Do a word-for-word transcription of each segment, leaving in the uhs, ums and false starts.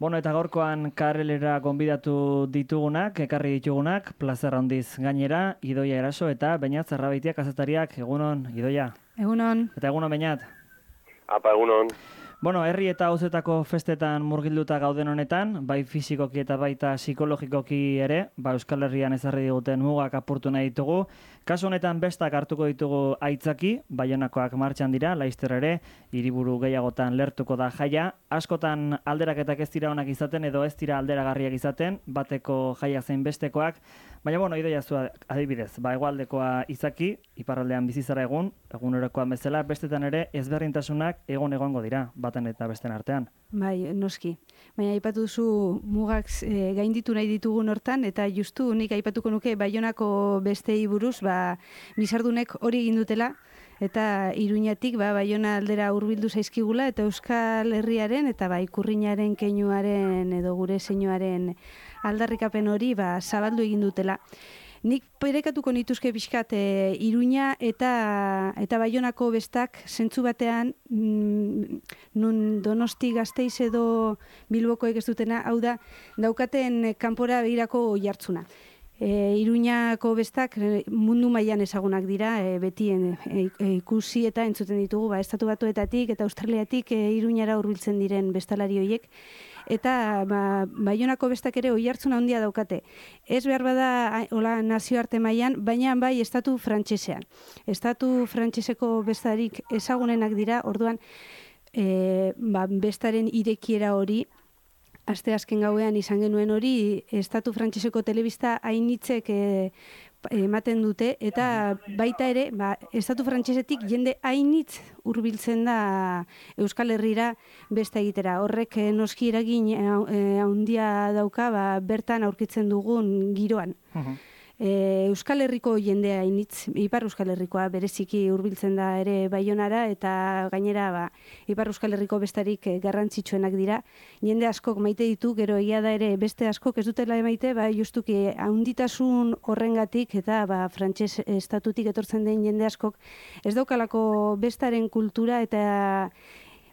Bueno, eta gaurkoan karrelera gonbidatu ditugunak, ekarri ditugunak, plazer handiz gainera, Idoia Eraso eta Beñat Zerrabeitiak kazetariak. Egunon, Idoia. Egunon. Eta egunon, Beñat. Apa, egunon. Bueno, herri eta auzetako festetan murgilduta gauden honetan, bai fisikoki eta baita psikologikoki ere, ba Euskal Herrian ezarri diguten mugak apurtu nahi ditugu. Kasu honetan bestak hartuko ditugu aitzaki, Baionakoak martxan dira, Laster ere, hiriburu gehiagotan lertuko da jaia. Askotan alderaketak ez dira onak izaten edo ez dira alderagarriak izaten, bateko jaia zein bestekoak. Baina, bueno, Idoia zu adibidez, ba hegoaldekoa izaki, iparraldean bizi zara egun, egunerokoan bezala, bestetan ere ezberdintasunak egon egongo dira, baten eta besten artean. Bai, noski. Baina aipatu duzu mugak e, gainditu nahi ditugun hortan, eta justu nik aipatuko nuke Baionako bestei buruz, ba, bizardunek hori egin dutela, eta Iruñatik ba, Baiona aldera hurbildu zaizkigula, eta Euskal Herriaren eta ba, ikurrinaren keinuaren edo gure zeinuaren aldarrikapen hori ba, zabaldu egin dutela. Nik perekatuko nituzke pixkat e, Iruña eta eta Baionako bestak zentzu batean mm, nun Donosti Gasteiz edo Bilbokoek ez dutena, hau da, daukaten kanpora begirako oihartzuna. E, Iruñako bestak mundu mailan ezagunak dira, e, beti e, e, ikusi eta entzuten ditugu, ba, Estatu Batuetatik eta Australiatik e, Iruñara hurbiltzen diren bestalari horiek. Eta ba, Baionako bestak ere oihartzun handia daukate. Ez behar bada hola nazioarte mailan, baina bai estatu frantsesean. Estatu frantseseko bestarik ezagunenak dira, orduan e, ba, bestaren irekiera hori, aste azken gauean izan genuen hori, estatu frantseseko telebista hainitzek e, ematen dute, eta baita ere, ba, estatu frantsesetik jende hainitz hurbiltzen da Euskal Herrira besta egitera. Horrek noski eragin handia dauka, ba, bertan aurkitzen dugun giroan. Uh-huh. E, Euskal Herriko jendea hainitz, Ipar Euskal Herrikoa bereziki hurbiltzen da ere Baionara, eta gainera ba, Ipar Euskal Herriko bestarik garrantzitsuenak dira. Jende askok maite ditu, gero egia da ere beste askok ez dutela maite, ba, justuki handitasun horrengatik eta ba, frantses estatutik etortzen den jende askok ez daukalako bestaren kultura eta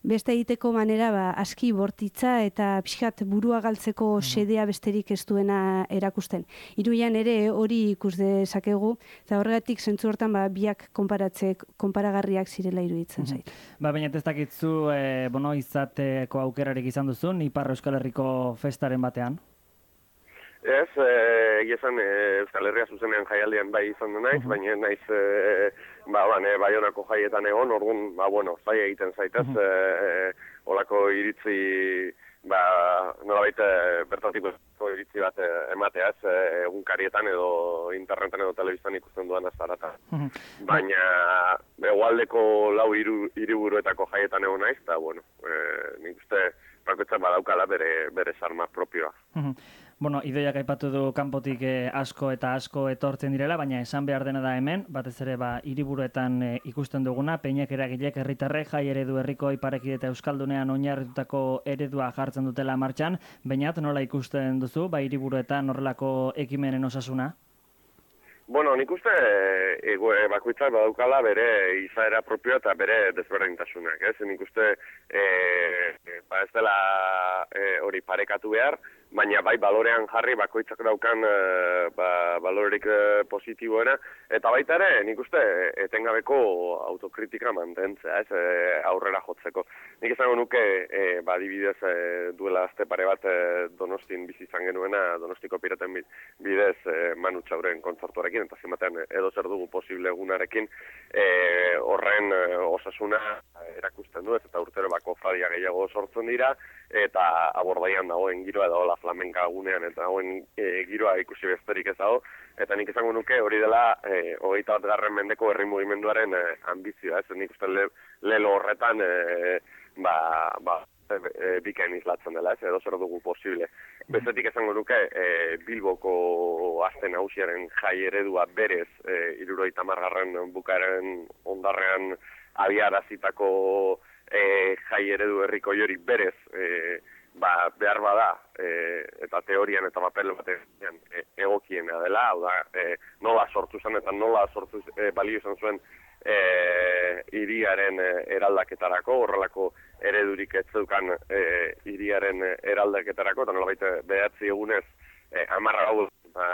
beste egiteko manera ba, aski bortitza eta pixkat burua galtzeko sedea besterik ez duena erakusten. Iruian ere hori ikus dezakegu, eta horregatik zentzu hortan ba, biak konparatze, konparagarriak zirela iruditzen zait. Ba, baina ez dakitzu e, bono, izateko aukerarik izan duzun, Ipar Euskal Herriko festaren batean? Ez, egia esan Euskal Herria zuzenean jaialdian bai izan du naiz, uh-huh. baina naiz e, ba, ban, e, Baionako jaietan egon, orduan, ba, bueno, zai egiten zaitez, uh-huh. e, olako iritzi, ba, nolabait bertatiko iritzi bat ematea, ez, egunkarietan edo internetan edo telebistan ikusten duan azarata. Uh-huh. Baina, hegoaldeko lau hiru hiriburuetako jaietan egon naiz, eta, bueno, e, nik uste, bakoitzak badaukala bere, bere sarma propioa. Uh-huh. Bueno, Idoiak aipatu du kanpotik eh, asko eta asko etortzen direla, baina esan behar dena da hemen, batez ere ba hiriburuetan eh, ikusten duguna, peinak eragilek herritarrek jai eredu herriko iparekide eta euskaldunean oinarritutako eredua jartzen dutela martxan. Beñat, nola ikusten duzu, ba hiriburuetan horrelako ekimenen osasuna? Bueno, nik uste e, e, bakoitzak badaukala bere izaera propioa eta bere desberdintasunak, ez? Nik uste e, e, ba ez dela hori e, parekatu behar, baina bai balorean jarri bakoitzak daukan e, ba, balorerik e, positiboena, eta baita ere nik uste etengabeko autokritika mantentzea, ez? E, aurrera jotzeko. Nik izango nuke, e, ba, adibidez e, duela azte pare bat e, Donostin bizi izan genuena, Donostiko Piraten bidez e, Manu Txauren kontzertuarekin, eta zimatean edo zer dugu posible egunarekin e, horren e, osasuna erakusten du, ez, eta urtero bako fradia gehiago sortzen dira, eta abordaian dagoen giroa edo la flamenka gunean eta dagoen e, giroa ikusi besterik ez dago, eta nik izango nuke hori dela e, hogeita bat garren mendeko herri mugimenduaren e, ambizioa, ez, nik uste le, lelo horretan e, ba, ba E, bikain izlatzen dela, ez, edo zer dugu posible. Bestetik esango nuke, e, Bilboko aste nagusiaren jai eredua berez, e, hirurogeita hamargarren bukaeren ondarrean abiarazitako e, jai eredu herriko hori berez, e, ba, behar bada, e, eta teorian eta papel batean e, egokiena dela, hau da, e, nola sortu zen eta nola sortu e, balio izan zuen e, hiriaren eraldaketarako, horrelako eredurik ez zeukan e, hiriaren eraldaketarako, eta nolabait behatzi egunez e, amarra hau ba,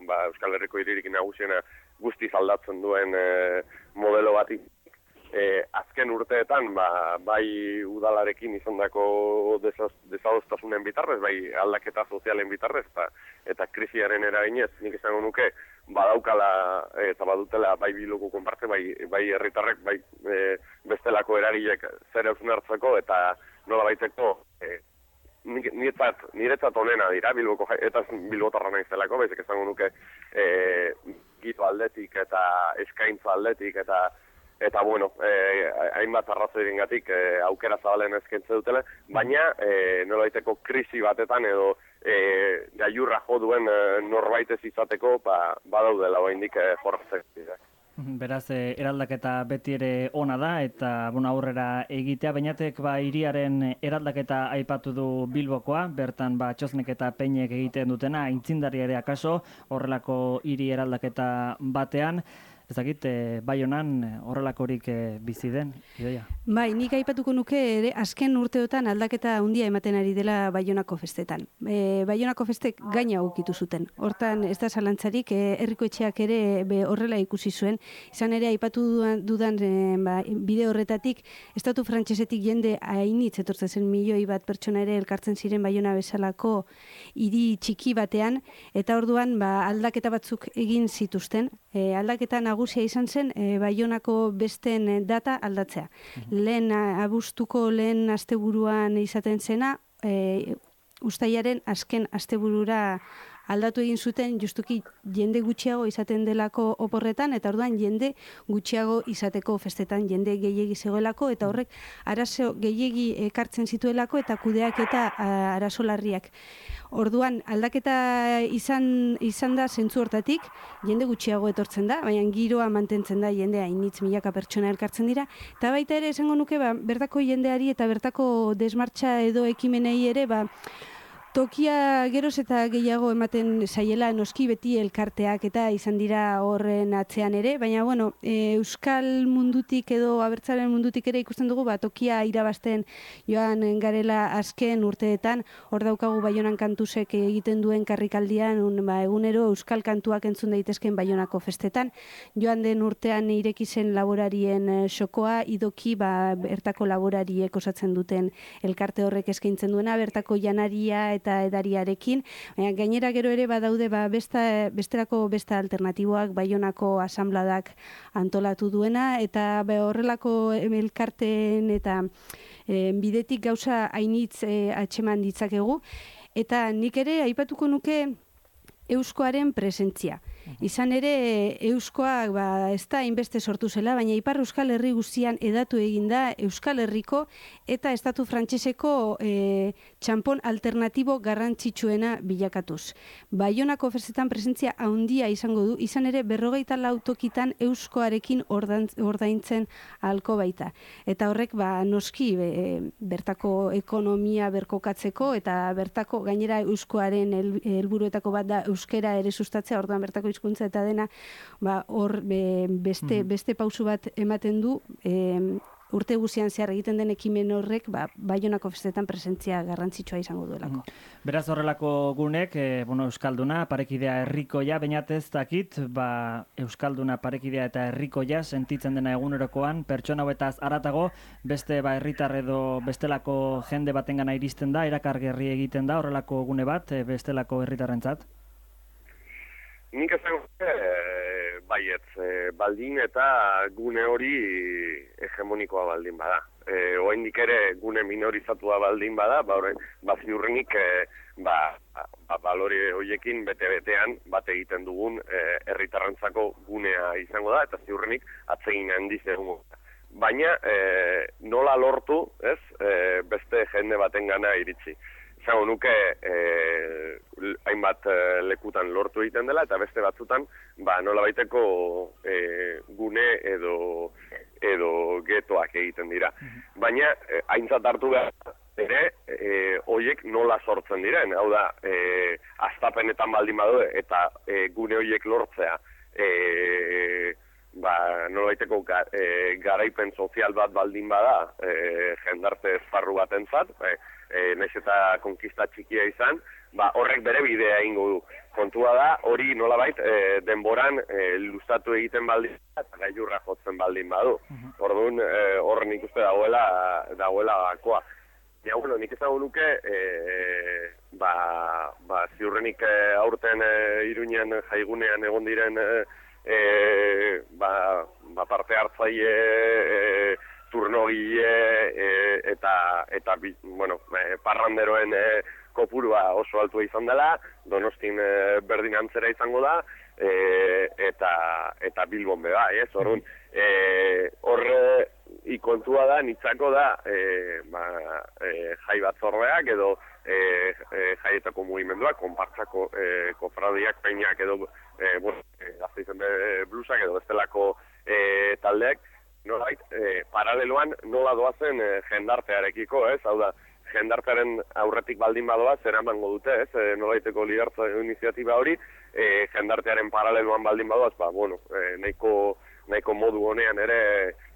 ba, Euskal Herriko hiririk nagusiena guztiz aldatzen duen e, modelo bat E, azken urteetan, ba, bai udalarekin izandako desadostasunen bitarrez, bai aldaketa sozialen bitarrez, eta, eta krisiaren eraginez, nik izango nuke, badaukala eta badutela bai biloko konparte, bai, bai herritarrek, bai e, bestelako eragilek zer eusun hartzeko, eta nola baiteko, e, niretzat, niretzat onena dira, bilboko, eta bilbotarra nahizelako, baizik izango nuke, e, gito aldetik eta eskaintza aldetik, eta Eta, bueno, eh, hainbat arrazoirengatik eh, aukera zabalen eskaintze dutela, baina eh, nolabaiteko krisi batetan edo eh, gaiurra jo duen eh, norbaitez izateko ba, badaudela oraindik eh, jorratzek. Beraz, eh, eraldaketa beti ere ona da, eta bueno, aurrera egitea, bainatek ba, hiriaren eraldaketa aipatu du Bilbokoa, bertan ba, Txosnek eta Peinek egiten dutena, aintzindari ere akaso, horrelako hiri eraldaketa batean. Ez dakit, e, Baionan horrelakorik e, bizi den, Idoia? Bai, nik aipatuko nuke ere azken urteotan aldaketa handia ematen ari dela Baionako festetan. E, Baionako festek gaina ukitu zuten. Hortan, ez da zalantzarik, e, herriko etxeak ere be, horrela ikusi zuen. Izan ere, aipatu dudan, dudan e, ba, bide horretatik, estatu frantsesetik jende hainitz etortzen zen milioi bat pertsona ere elkartzen ziren Baiona bezalako hiri txiki batean, eta orduan ba, aldaketa batzuk egin zituzten. E, aldaketa nagusia izan zen e, Baionako besten data aldatzea. Mm-hmm. Lehen abuztuko lehen asteburuan izaten zena, e, ustailaren azken asteburura aldatu egin zuten justuki jende gutxiago izaten delako oporretan, eta orduan jende gutxiago izateko festetan jende gehiegi zegoelako, eta horrek arazo gehiegi ekartzen zituelako eta kudeak eta arazo larriak. Orduan, aldaketa izan, izan da zentzu hortatik, jende gutxiago etortzen da, baina giroa mantentzen da jende hainitz milaka pertsona elkartzen dira, eta baita ere esango nuke, ba, bertako jendeari eta bertako desmartxa edo ekimenei ere, ba, tokia geroz eta gehiago ematen zaiela noski beti elkarteak eta izan dira horren atzean ere, baina bueno, e, euskal mundutik edo abertzaren mundutik ere ikusten dugu, ba, tokia irabazten joan garela azken urteetan, hor daukagu Baionan Kantuzek egiten duen karrikaldian, un, ba, egunero euskal kantuak entzun daitezken Baionako festetan, joan den urtean ireki zen laborarien xokoa, idoki ba, bertako laborariek osatzen duten elkarte horrek eskaintzen duena, bertako janaria eta edariarekin, baina gainera gero ere badaude ba, besta, besterako besta alternatiboak Baionako asambladak antolatu duena, eta be, horrelako elkarteen eta e, bidetik gauza hainitz e, atxeman ditzakegu, eta nik ere aipatuko nuke euskoaren presentzia. Izan ere, euskoak ba, ez da inbeste sortu zela, baina Ipar Euskal Herri guztian edatu eginda Euskal Herriko eta estatu frantseseko e, txanpon alternatibo garrantzitsuena bilakatuz. Baionako festetan presentzia handia izango du, izan ere berrogeita lau tokitan euskoarekin ordaintzen ahalko baita. Eta horrek ba, noski be, bertako ekonomia berkokatzeko eta bertako gainera euskoaren helburuetako bat da euskera ere sustatzea, orduan bertako hizkuntza eta dena ba, hor be, beste, beste pausu bat ematen du, e, urte guzian zehar egiten den ekimen horrek ba, Baionako festetan presentzia garrantzitsua izango duelako. Beraz horrelako gunek, e, bueno, Euskalduna, parekidea herrikoia, bainatez dakit, ba, Euskalduna, parekidea eta herrikoia sentitzen dena egunerokoan, pertsona hauetaz aratago, beste ba, herritar edo bestelako jende batengana iristen da, erakargerri egiten da, horrelako gune bat, e, bestelako herritarrentzat? Nik esan e, baietz, e, baldin eta gune hori hegemonikoa baldin bada. E, Oaindik ere gune minorizatua baldin bada, ba, ba ziurrenik e, ba, ba, balore horiekin bete-betean bat egiten dugun herritarrentzako e, gunea izango da, eta ziurrenik atsegin handiz egungo. Baina e, nola lortu, ez, e, beste jende batengana iritsi. Zago nuke eh, hainbat eh, lekutan lortu egiten dela, eta beste batzutan ba, nola baiteko eh, gune edo, edo getoak egiten dira. Baina eh, aintzat hartu behar ere, eh, hoiek nola sortzen diren. Hau da, eh, astapenetan baldin badu eta eh, gune hoiek lortzea eh, ba, nolaiteko ga, e, garaipen sozial bat baldin bada e, jendarte esparru batentzat, e, e, naiz eta konkista txikia izan, ba, horrek bere bidea egingo du. Kontua da, hori nolabait e, denboran e, luzatu egiten baldin eta gailurra jotzen baldin badu. Orduan, e, hor nik uste dagoela, dagoela gakoa. Ja, bueno, nik ezagun nuke, e, ba, ba, ziurrenik e, aurten e, Iruñean jaigunean egon diren e, e, ba, ba, parte hartzaile, e, turnogile e, eta, eta bi, bueno, e, parranderoen e, kopurua oso altua izan dela, Donostin e, berdin antzera izango da, e, eta, eta Bilbon beba, ez? Orduan, e, horre ikontua da, nitzako da, e, ba, e, jai batzordeak edo e, e, jaietako mugimenduak, konpartzako e, kofradiak, peinak edo e, bueno, e, Gasteizen blusak edo bestelako e, taldeak, nolait, e, paraleloan nola doazen e, jendartearekiko, ez? Hau da, jendartearen aurretik baldin badoa, zer emango dute, ez? E, nolaiteko lidertza iniziatiba hori, e, jendartearen paraleloan baldin badoaz, ba, bueno, e, nahiko, nahiko modu honean ere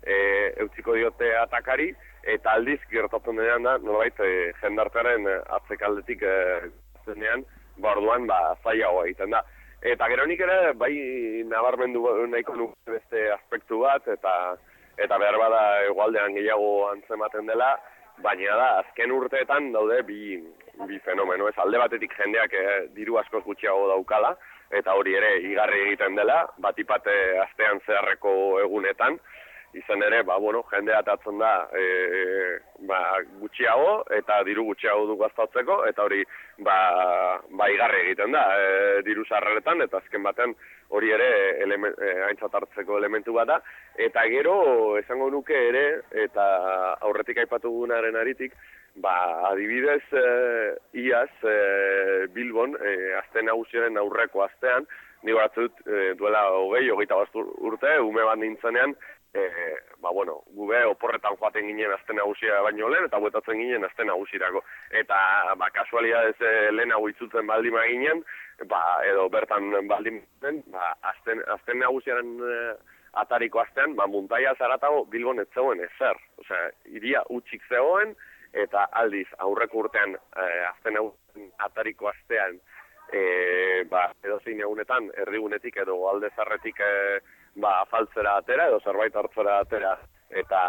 e, eutziko diote atakari, eta aldiz gertatzen denean da, nolait, e, jendartearen atzekaldetik e, zenean, ba, orduan, ba, zaiagoa egiten da. Eta gero nik ere, bai nabarmendu nahiko nuke beste aspektu bat, eta eta behar bada egualdean gehiago antzematen dela, baina da, azken urteetan daude bi, bi fenomeno, ez alde batetik jendeak e, diru askoz gutxiago daukala, eta hori ere igarri egiten dela, batipate astean zeharreko egunetan, izan ere, ba, bueno, jendea atatzen da e, ba, gutxiago, eta diru gutxiago du gastatzeko, eta hori ba, ba igarri egiten da e, diru sarreretan, eta azken batean hori ere elemen, e, aintzat hartzeko elementu bat da, eta gero esango nuke ere, eta aurretik aipatu gunaren aritik, ba, adibidez e, iaz e, Bilbon, e, azte nagusiaren aurreko astean, ni batzut e, duela hogei, hogeita bat urte, ume bat nintzenean, E, ba, bueno, gube oporretan joaten ginen azte nagusia baino lehen, eta buetatzen ginen azte nagusirako. Eta, ba, kasualidadez e, lehenago itzutzen baldin ginen, ba, edo bertan baldin ginen, ba, azten, azten nagusiaren e, atariko astean, ba, muntaia zaratago Bilbon ez zegoen ezer. Osea, iria utxik zegoen, eta aldiz, aurreko urtean e, azten nagusiaren atariko astean, e, ba, edo zein egunetan, erdigunetik edo alde zarretik e, ba, faltzera atera edo zerbait hartzera atera eta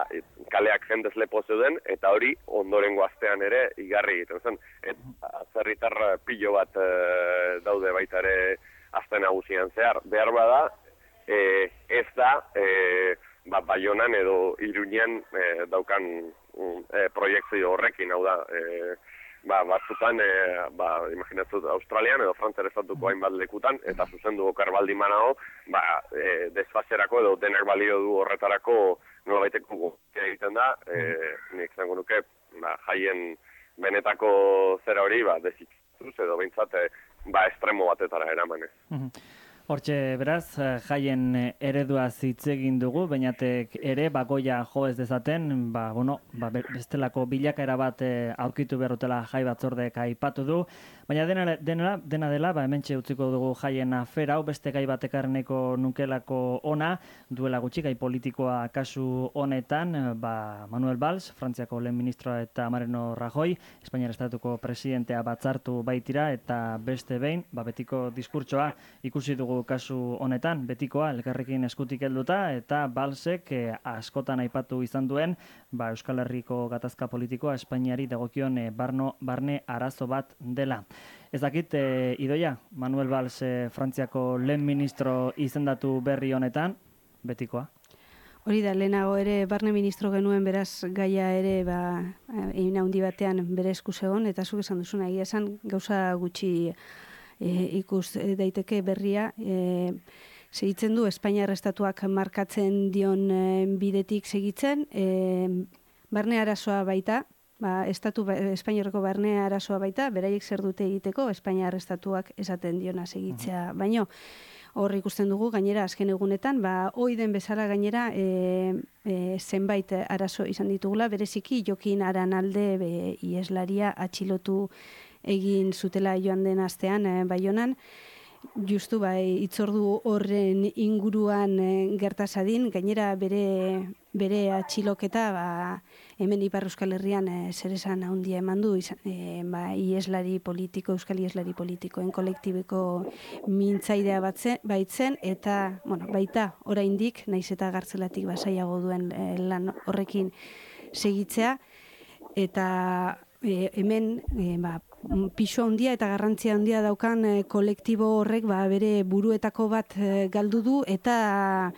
kaleak jendez lepo zeuden eta hori ondorengo astean ere igarri egiten zen. Eta zerritar pilo bat e, daude baita ere aste nagusian zehar. Behar bada, e, ez da e, ba, Baionan edo Iruñean e, daukan e, proiektzio horrekin, hau da, e, ba, batzutan, e, ba, imaginatzen Australian edo Frantziar estatuko hainbat lekutan, eta zuzendu okar baldin banago, ba, e, desfazerako edo denak balio du horretarako nolabaiteko guztia egiten da, e, nik zango nuke, ba, jaien benetako zera hori, ba, dezitzuz edo behintzat, ba, estremo batetara eramanez. Hortxe, beraz, jaien eredua hitz egin dugu, bainatek ere bagoia jo ez dezaten, ba, bueno, ba, bestelako bilakaera bat aurkitu berrotela jai batzordek aipatu du, baina dena, dena, dena dela, ba, hementxe utziko dugu jaien afera, hau beste gai bat ekarreneko nukelako ona, duela gutxi gai politikoa kasu honetan, ba, Manuel Valls, Frantziako lehen ministroa eta Mariano Rajoy, Espainiar Estatuko presidentea batzartu baitira, eta beste behin, ba, betiko diskurtsoa ikusi dugu kasu honetan, betikoa elkarrekin eskutik helduta eta Valsek eh, askotan aipatu izan duen ba, Euskal Herriko gatazka politikoa Espainiari dagokion eh, barno, barne arazo bat dela. Ez dakit, eh, Idoia, Manuel Valls eh, Frantziako lehen ministro izendatu berri honetan, betikoa? Hori da, lehenago ere barne ministro genuen, beraz gaia ere ba, egin handi batean bere esku zegoen, eta zuk esan duzuna, egia esan gauza gutxi E, ikus daiteke berria, e, segitzen du Espainiar Estatuak markatzen dion e, bidetik segitzen, e, barne arazoa baita, ba, Estatu Espainiarreko barne arazoa baita, beraiek zer dute egiteko Espainiar Estatuak esaten diona segitzea, baino hor ikusten dugu gainera azken egunetan, ba, hoi den bezala gainera e, e, zenbait arazo izan ditugula, bereziki Jokin Aranalde be, ieslaria atxilotu egin zutela joan den astean e, Baionan, justu bai itzordu horren inguruan e, gertazadin, gainera bere bere atxiloketa ba, hemen Ipar Euskal Herrian e, zeresan handia eman du izan, e, ba, ieslari politiko, euskal ieslari politikoen kolektibeko mintzaidea batze, baitzen, eta bueno, baita oraindik naiz eta gartzelatik basaiago duen e, lan horrekin segitzea, eta e, hemen e, ba, pisu handia eta garrantzia handia daukan e, kolektibo horrek ba, bere buruetako bat e, galdu du, eta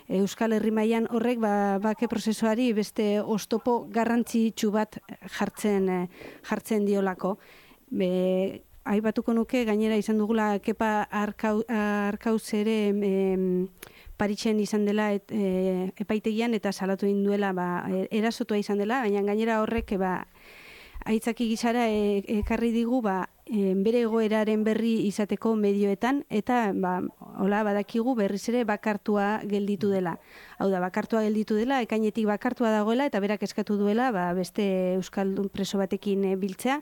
Euskal Herri mailan horrek ba, bake prozesuari beste oztopo garrantzitsu bat jartzen e, jartzen diolako. Be, aipatuko nuke gainera izan dugula Kepa Arkau, Arkauz ere em, Parisen izan dela et, e, epaitegian eta salatu egin duela ba, erasotua izan dela, baina gainera horrek ba, aitzaki gisara e, ekarri digu ba, e, bere egoeraren berri izateko medioetan, eta ba, hola badakigu berriz ere bakartua gelditu dela. Hau da, bakartua gelditu dela, ekainetik bakartua dagoela, eta berak eskatu duela ba, beste euskaldun preso batekin e, biltzea,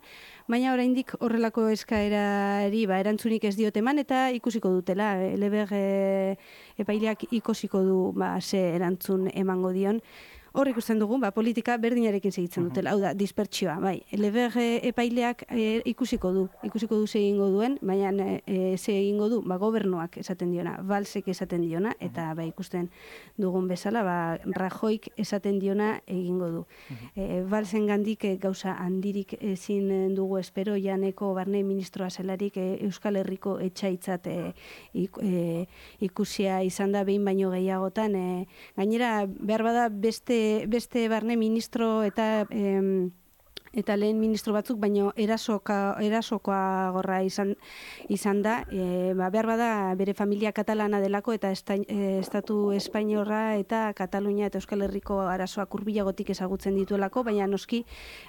baina oraindik horrelako eskaerari ba, erantzunik ez diote eman, eta ikusiko dutela, Eleber e, epaileak ikusiko du ba, ze erantzun emango dion. Hor ikusten dugu, ba, politika berdinarekin segitzen dutela, hau da, dispertsioa, bai. Eleber epaileak e, ikusiko du, ikusiko du ze egingo duen, baina e, ze egingo du, ba, gobernuak esaten diona, Valsek esaten diona, eta ba, ikusten dugun bezala, ba, Rajoik esaten diona egingo du. E, Valsen gandik e, gauza handirik ezin dugu espero, janeko barne ministroa zelarik e, Euskal Herriko etxaitzat e, ik, e, ikusia izan da behin baino gehiagotan, e, gainera, behar bada beste beste barne ministro eta em, eta lehen ministro batzuk, baino erasoka, erasokoa gorra izan, izan da, e, ba, behar bada bere familia katalana delako eta esta, e, estatu espainiorra eta Katalunia eta Euskal Herriko arazoak hurbilagotik ezagutzen dituelako, baina noski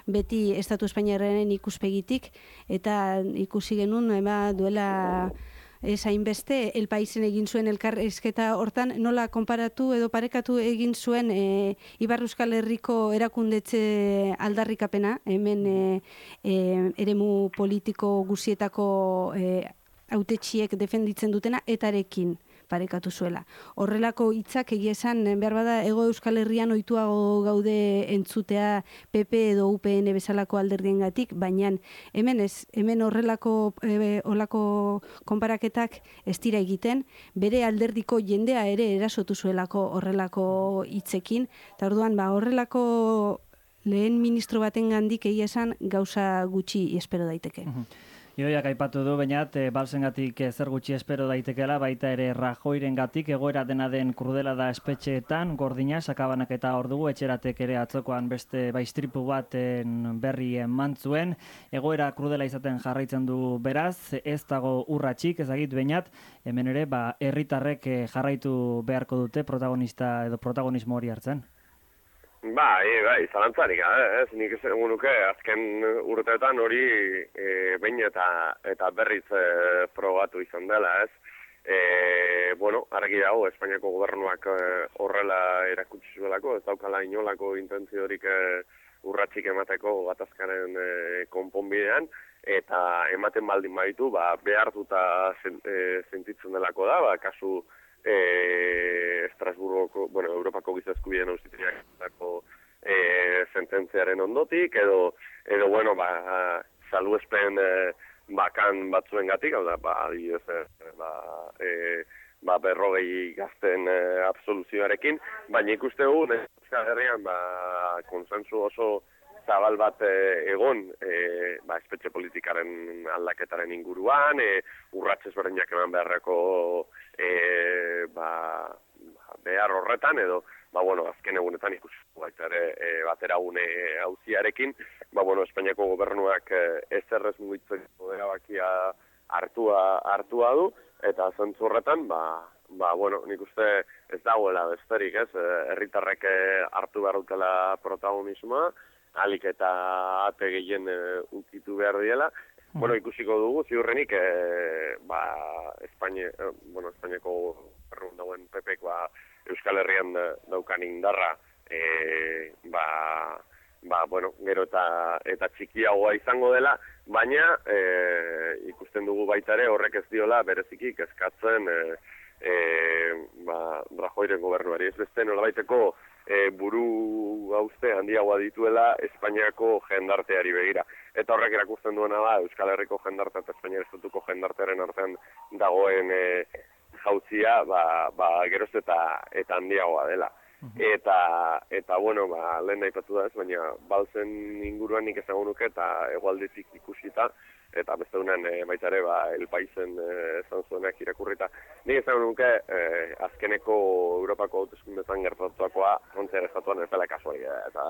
beti estatu espainiarraren ikuspegitik, eta ikusi genuen eba, duela ez hainbeste, El Paisen egin zuen elkarrizketa hortan, nola konparatu edo parekatu egin zuen e, Ipar Euskal Herriko erakundetze aldarrikapena, hemen e, e, eremu politiko guzietako e, hautetsiek defenditzen dutena, etarekin parekatu zuela. Horrelako hitzak egia esan, behar bada, Hego Euskal Herrian ohituago gaude entzutea P P edo U P N bezalako alderdiengatik, baina hemen ez, hemen horrelako e, horrelako konparaketak ez dira egiten, bere alderdiko jendea ere erasotu zuelako horrelako hitzekin, eta orduan ba, horrelako lehen ministro baten gandik egia esan gauza gutxi espero daiteke. Idoiak aipatu du, bainat, e, Balsengatik e, zer gutxi espero daitekela, baita ere Rajoirengatik, egoera dena den krudela da espetxeetan, gordina, sakabanak eta hor dugu, etxeratek ere atzokoan beste baistripu baten berri eman zuen, egoera krudela izaten jarraitzen du beraz, ez dago urratxik, ezagit bainat, hemen ere, ba, herritarrek e, jarraitu beharko dute protagonista edo protagonismo hori hartzen. Bai, bai, zalantzarik, eh? ez nik esango nuke azken urteetan hori e, behin eta, eta berriz e, probatu izan dela, ez? E, bueno, argi dago, Espainiako gobernuak e, horrela erakutsi zuelako, ez daukala inolako intentziorik e, urratxik emateko gatazkaren e, konponbidean, eta ematen baldin baditu, ba, behartuta zen, e, sentitzen delako da, ba, kasu E, Estrasburgoko, bueno, Europako Giza Eskubideen Auzitegiako e, sententziaren ondotik, edo, edo bueno, ba, salbuespen e, bakan batzuengatik, hau da, ba, adibidez, e, ba, e, ba, berrogei gazten e, absoluzioarekin, baina ikuste gu, Euskal Herrian, ba, konsensu oso zabal bat e, egon e, ba, espetxe politikaren aldaketaren inguruan, e, urratxez berdinak eman beharreko e, ba, behar horretan, edo, ba, bueno, azken egunetan ikusi baita ere e, batera une auziarekin, ba, bueno, Espainiako gobernuak e, ez errez mugitzeko erabakia hartua, hartua du, eta zentzu horretan, ba, ba, bueno, nik uste ez dagoela besterik, ez, herritarrek hartu behar dutela protagonismoa, alik eta ate gehien e, unkitu behar diela. Mm. Bueno, ikusiko dugu, ziurrenik, e, ba, Espainia, e, bueno, Espainiako errun dauen P P K ba, Euskal Herrian daukan indarra, e, ba, ba, bueno, gero eta, eta txikiagoa izango dela, baina e, ikusten dugu baita ere horrek ez diola bereziki kezkatzen e, e, ba, Rajoyren gobernuari. Ez beste nolabaiteko e, buru gauzte handiagoa dituela Espainiako jendarteari begira. Eta horrek erakusten duena da Euskal Herriko jendartea eta Espainiar estatuko jendartearen artean dagoen e, jauzia ba, ba, geroz eta, eta handiagoa dela. Eta, eta bueno, ba, lehen aipatu da ez, baina balzen inguruan nik ezagun nuke eta hegoaldetik ikusita, eta beste dunen e, baita ere, ba, El Paisen esan e, zuenak irakurrita. Nik ezagun nuke e, azkeneko Europako hauteskundetan gertatuakoa frontziar estatuan ez dela kasualidadea. Eta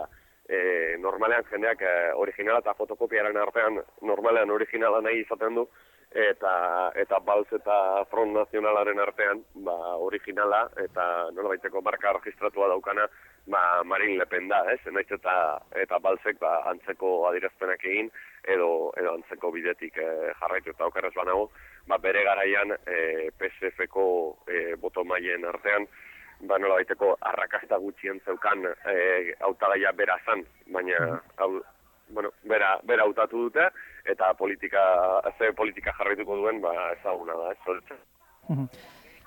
e, normalean jendeak e, originala eta fotokopiaren artean normalean originala nahi izaten du, eta eta Balz eta Front Nazionalaren artean ba originala eta nolabaiteko marka registratua daukana ba Marine Le Pen da, ez? Naiz eta eta Balzek ba antzeko adierazpenak egin edo edo antzeko bidetik e, jarraitu eta okerrez banago, ba bere garaian e, P S F-ko e, boto mailen artean ba nolabaiteko arrakasta gutxien zeukan e, hautagaia bera zan, baina hau bueno, bera, bera hautatu dute, eta politika, ze politika jarraituko duen, ba, ezaguna da, ez zortzen.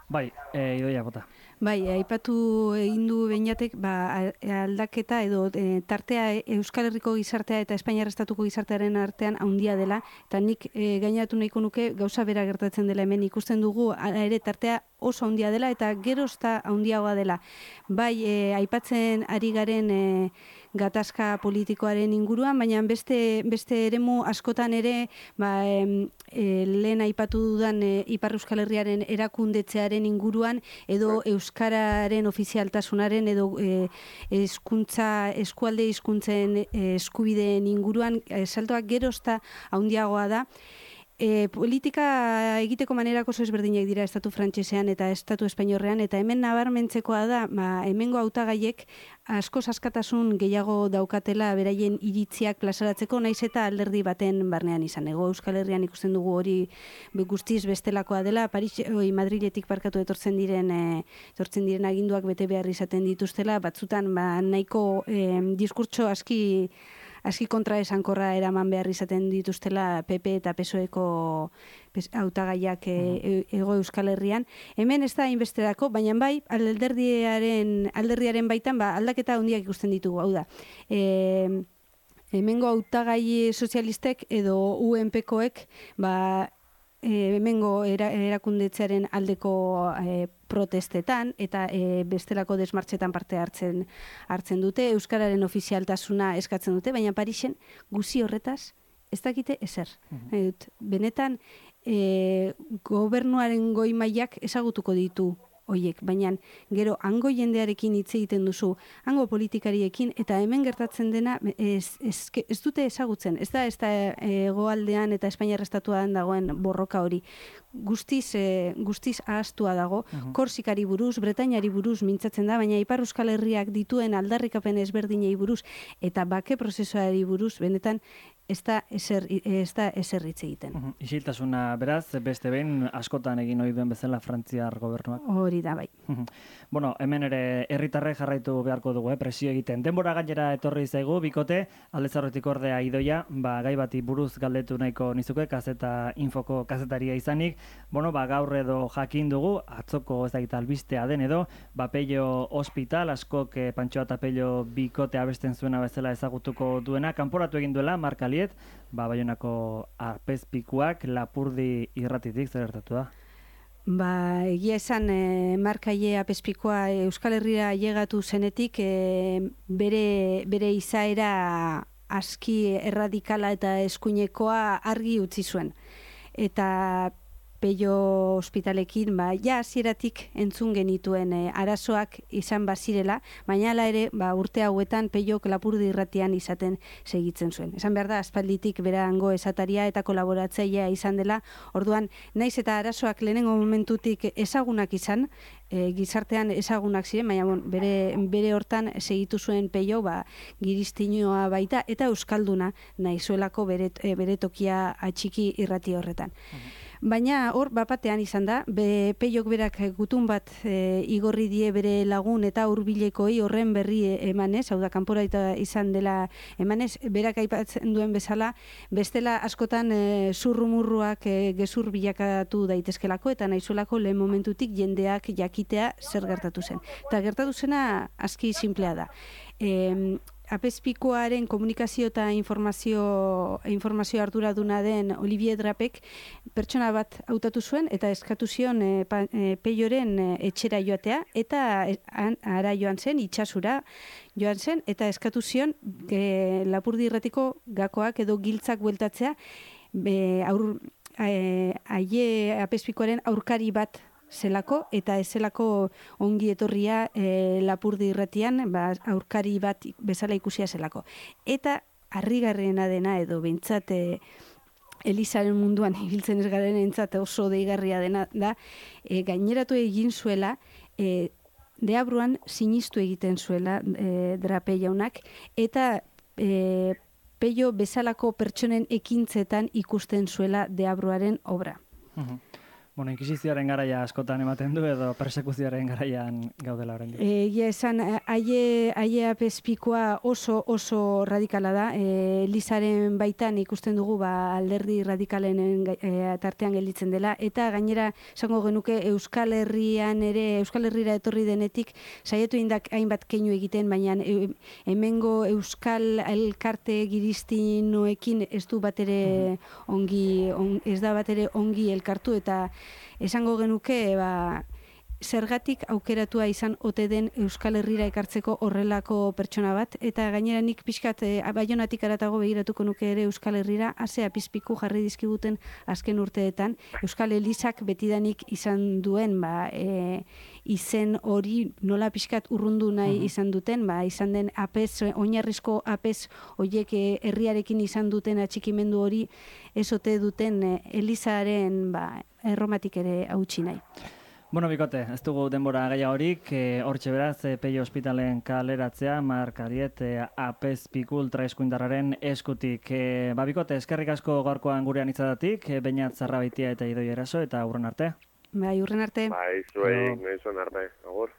Bai, e, Idoia bota. Bai, aipatu egin du beinatek, ba, aldaketa edo e, tartea Euskal Herriko gizartea eta Espainiar Estatuko gizartearen artean handia dela, eta nik e, gainatu nahiko nuke gauza bera gertatzen dela hemen ikusten dugu, ala ere tartea oso handia dela eta gerozta handiagoa dela. Bai, e, aipatzen ari garen e, gatazka politikoaren inguruan, baina beste beste eremu askotan ere, ba, e, e, lehen aipatu dudan e, Ipar Euskal Herriaren erakundetzearen inguruan edo euskararen ofizialtasunaren edo e, hezkuntza eskualde hizkuntzen e, eskubideen inguruan e, saltoak gerozta handiagoa da. E, politika egiteko manerako oso ezberdinak dira estatu frantsesean eta estatu espainiorrean, eta hemen nabarmentzekoa da, ba, hemengo hautagaiek asko askatasun gehiago daukatela beraien iritziak plazaratzeko, naiz eta alderdi baten barnean izan. Ego Euskal Herrian ikusten dugu hori guztiz bestelakoa dela, Paris, oi, Madriletik parkatu etortzen diren e, etortzen diren aginduak bete behar izaten dituztela, batzutan ba, nahiko e, diskurtso aski aski kontra esankorra eraman behar izaten dituztela P P eta P S O-eko hautagaiak e, Ego Euskal Herrian. Hemen ez da hainbesterako, baina bai alderdiaren alderdiaren baitan ba aldaketa handiak ikusten ditugu, hau da. E, hemengo hautagai sozialistek edo U N P-koek ba E, hemengo era, erakundetzearen aldeko e, protestetan eta e, bestelako desmartxetan parte hartzen hartzen dute, euskararen ofizialtasuna eskatzen dute, baina Parisen guzi horretaz ez dakite ezer. Uh-huh. Benetan e, gobernuaren goi mailak ezagutuko ditu hoiek, baina gero hango jendearekin hitz egiten duzu, hango politikariekin, eta hemen gertatzen dena ez, ez, ez dute ezagutzen, ez da ez da hegoaldean eta Espainiar Estatuan dagoen borroka hori. Guztiz, e, guztiz ahaztua dago, uh-huh. Korsikari buruz, Bretainari buruz mintzatzen da, baina Ipar Euskal Herriak dituen aldarrikapen ezberdinei buruz eta bake prozesuari buruz, benetan ez da ezer, ez da ezer hitz egiten. Uh-huh. Isiltasuna beraz, beste behin askotan egin ohi duen bezala Frantziar gobernuak. Hori da, bai. Uh-huh. Bueno, hemen ere herritarrek jarraitu beharko dugu, eh, presio egiten. Denbora gainera etorri zaigu, bikote, Aldez Aurretik ordea Idoia, ba, gai bati buruz galdetu nahiko nizuke, kazeta infoko kazetaria izanik, bueno, ba, gaur edo jakin dugu, atzoko ez dakit albistea den edo, ba, Pello Hospital, askok eh, Pantxoa eta Pello bikote abesten zuena bezala ezagutuko duena, kanporatu egin duela, Marka Liet, ba, Baionako Apezpikuak Lapurdi irratitik zer gertatu da? Ba, egia esan, e, Markaie Apezpikoa Euskal Herrira llegatu zenetik, e, bere, bere izaera aski erradikala eta eskuinekoa argi utzi zuen. Eta Pello Hospitalekin, ba, ja hasieratik entzun genituen e, arazoak izan bazirela, baina hala ere, ba, urte hauetan Pellok Lapurdi irratian izaten segitzen zuen. Esan behar da, aspalditik berango esataria eta kolaboratzailea izan dela, orduan, naiz eta arazoak lehenengo momentutik ezagunak izan, e, gizartean ezagunak ziren, baina bon, bere, bere hortan segitu zuen Pello, ba, giriztinoa baita, eta euskalduna nahi zuelako bere, e, bere tokia atxiki irrati horretan. Uh-huh. Baina hor, bapatean izan da, be, peiok berak gutun bat e, igorri die bere lagun eta hurbilekoi horren berri emanez, hau da, kanpora izan dela emanez, berak aipatzen duen bezala, bestela askotan e, zurrumurruak e, gezur bilakatu daitezkelako, eta nahizuelako lehen momentutik jendeak jakitea zer gertatu zen. Eta gertatu zena aski simplea da. E, Apezpikuaren komunikazio eta informazio, informazio arduraduna den Olivier Drapek pertsona bat hautatu zuen eta eskatu zion e, pa, e, peioren e, etxera joatea eta e, ara joan zen, itxasura joan zen eta eskatu zion e, Lapurdi Irratiko gakoak edo giltzak bueltatzea e, aur, e, aie Apezpikuaren aurkari bat zelako eta ez zelako ongi etorria e, Lapurdi Irratian ba, aurkari bat bezala ikusia zelako. Eta harrigarriena dena edo behintzat e, Elizaren munduan ibiltzen ez garen entzat oso deigarria dena da e, gaineratu egin zuela e, Deabruan sinistu egiten zuela e, Drape jaunak eta e, Peio bezalako pertsonen ekintzetan ikusten zuela Deabruaren obra. Uh-huh. Bueno, inkisizioaren garaia askotan ematen du edo persekuzioaren garaian gaudela oraindik. Egia esan, haie haie Apezpikoa oso oso radikala da. E, Elizaren baitan ikusten dugu ba, alderdi radikalen e, tartean gelditzen dela eta gainera esango genuke Euskal Herrian ere Euskal Herrira etorri denetik saiatu indak hainbat keinu egiten, baina e, hemengo Euskal elkarte giristinoekin ez du batere ongi on, ez da batere ongi elkartu eta esango genuke ba, zergatik aukeratua izan ote den Euskal Herrira ekartzeko horrelako pertsona bat, eta gainera nik pixkat e, Baionatik aratago begiratuko nuke ere Euskal Herrira, ase Apezpiku jarri dizkiguten azken urteetan, Euskal Elizak betidanik izan duen ba, e, izen hori nola pixkat urrundu nahi uh-huh. izan duten, ba, izan den apez, oinarrizko apez horiek e, herriarekin izan duten atxikimendu hori ezote duten e, Elizaren ba, erromatik ere hautsi nahi. Bueno, bikote, ez dugu denbora gehiagorik, e, hortxe beraz, e, Peio Ospitalen kaleratzea, Mark Ariet, e, Apezpiku ultraeskuindarraren eskutik. E, ba, bikote, eskerrik asko gaurkoan gurean itzadatik, e, Beñat Zarrabaitia eta Idoi Eraso, eta hurren arte. Bai, hurren arte. Bai, zuei, nahi zuen arte, agur.